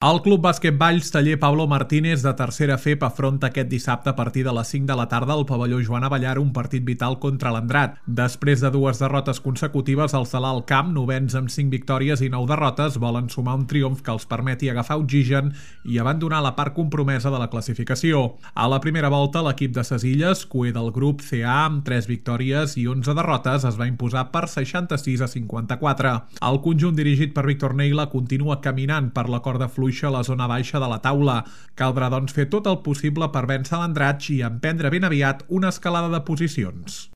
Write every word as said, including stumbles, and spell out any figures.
El Club Bàsquet Valls Taller Pablo Martínez de tercera F E P afronta aquest dissabte a partir de les cinc de la tarda al pavelló Joan Abellar un partit vital contra l'Andrat. Després de dues derrotes consecutives, els de l'Alt Camp, novens amb cinc victòries i nou derrotes, volen sumar un triomf que els permeti agafar oxigen i abandonar la part compromesa de la classificació. A la primera volta, l'equip de Ses Illes, cuer del grup C A amb tres victòries i onze derrotes, es va imposar per seixanta-sis a cinquanta-quatre. El conjunt dirigit per Víctor Neila continua caminant per la corda fluixa a la zona baixa de la taula. Caldrà, doncs, fer tot el possible per vèncer l'Andratx i emprendre ben aviat una escalada de posicions.